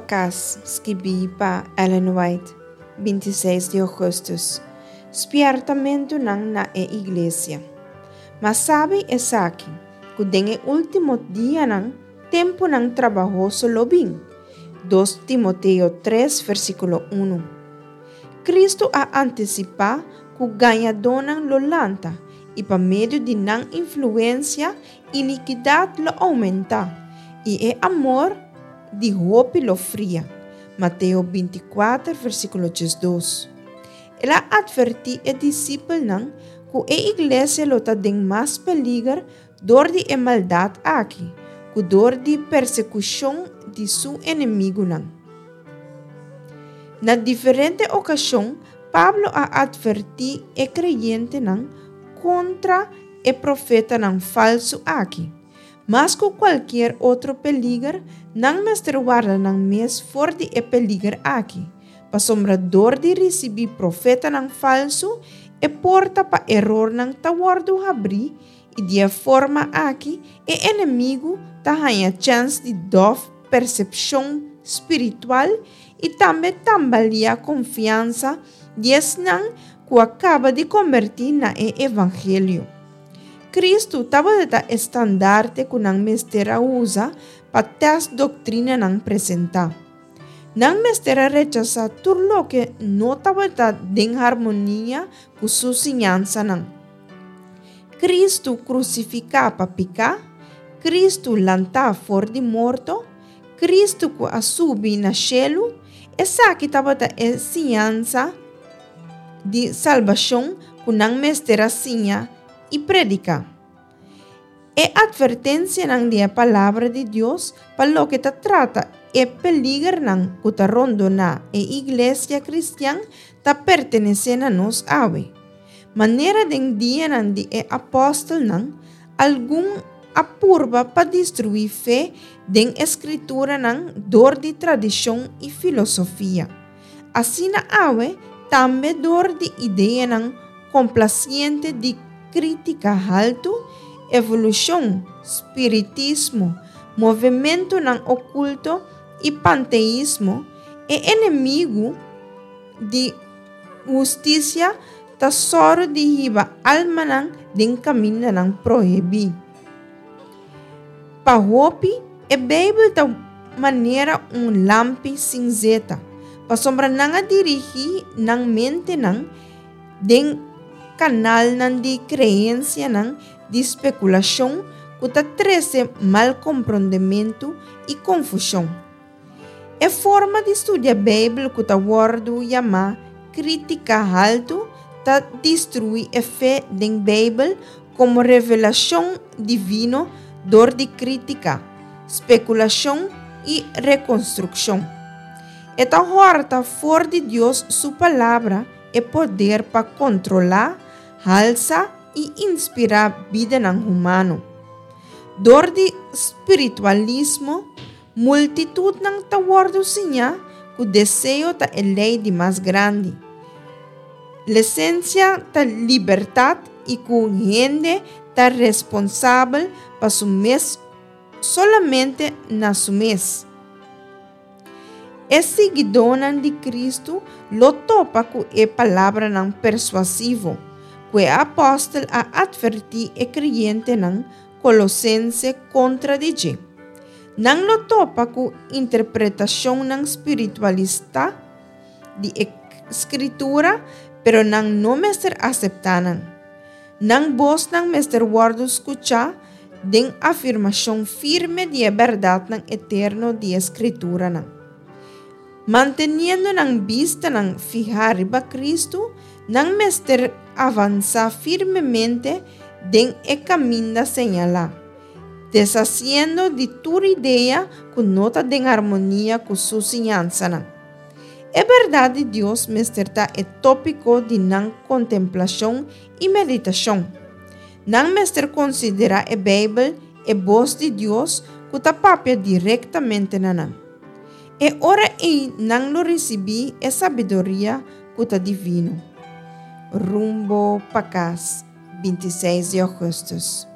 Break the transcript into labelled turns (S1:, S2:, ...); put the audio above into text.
S1: pa kas, skibí pa Ellen White, 26 di ougùstùs. Spièrtamentunan na e iglesia. Ma sabi esaki, ku den e último dianan tempunan trabahoso lo bin. 2 Timoteo 3 versíkulo 1. Kristu a antisipá ku gañadónan lo lanta i pa medio di nan influensia inikidat lo oumentá i e amor di hopi lo fria. Mateo 24 versíkulo 12. El a atvertí e disipelnan ku e iglesia lo ta den mas peliger dor di e maldat aki ku dor di persekushon di su enemigunan. Na diferente okashon Pablo a atvertí e kreyentenan kontra e profetanan falsu aki. Mas ku kualkier otro peliger, nan mester warda nan mes for di e peliger aki, pasobra dor di risibí profetanan falsu, e porta pa erornan ta wòrdu habrí i di e forma aki e enemigu ta haña chèns di dòf persepshon spiritual i tambe tambaliá konfiansa di esnan ku a kaba di kombertí na e evangelio. Kristu tabata e standarte ku nan mester a usa pa tèst doktrinanan presentá. Nan mester a rechasá tur loke no tabata den harmonia ku su siñansanan. Kristu krusifiká pa piká, Kristu lantá for di morto, Kristu ku a subi na shelu, esaki tabata e siñansa di salbashon ku nan mester a siña i prediká. E atvertensianan di e Palabra di Dios pa loke ta trata e peligernan ku ta rondoná e iglesia kristian ta pertenesé na nos awe. Manera den dianan di e apòstelnan, algun a purba pa destruí fe den e Skrituranan dor di tradishon i filosofia. Asina awe tambe dor di ideanan komplasiente di krítika haltu, evolushon, spiritismo, movementunan okulto i panteismo, e enemigu di hustisia ta sòru di hiba almanan den kamindanan prohibí. Pa hopi, e Beibel ta manera un lampi sin zeta, pasobra nan a dirigí nan mentenan den kanalnan di kreensianan di spekulashon ku ta trese malkomprondementu i konfushon. E forma di studia Beibel ku ta wòrdu yamá krítika haltu ta destruí e fe den Beibel komo revelashon divino dor di krítika, spekulashon i rekonstrukshon. E ta hòrta for di Dios su Palabra e poder pa kontrolá, halsa i inspirá bidanan humano. Dor di spiritualismo, Multitutnan ta wòrdu siñá ku deseo ta e lei di mas grandi. Lesensia ta libertat i ku hende ta responsabel pa su mes solamente na su mes. E siguidónan di Kristu lo topa ku e palabranan persuasivo ku e apòstel a atvertí e kreyentenan Kolosense kontra di dje. Nan lo topa ku interpretashonnan spiritualista di e Skritura, pero nan no mester aseptá nan. Nan bosnan mester wòrdu skuchá den afirmashon firme di e bèrdatnan eterno di e Skrituranan. Manteniendo nan bistanan fihá riba Kristu, nan mester avansá firmemente den e kaminda señalá, deshasiendo di tur idea ku no ta den armonia ku su siñansanan. E bèrdat di Dios mester ta e tópiko di nan kontemplashon i meditashon. Nan mester konsiderá e Beibel e bos di Dios ku ta papia direktamente na nan. E ora ei nan lo risibí e sabiduria ku ta divino. Rumbo pa kas, 26 di ougùstùs.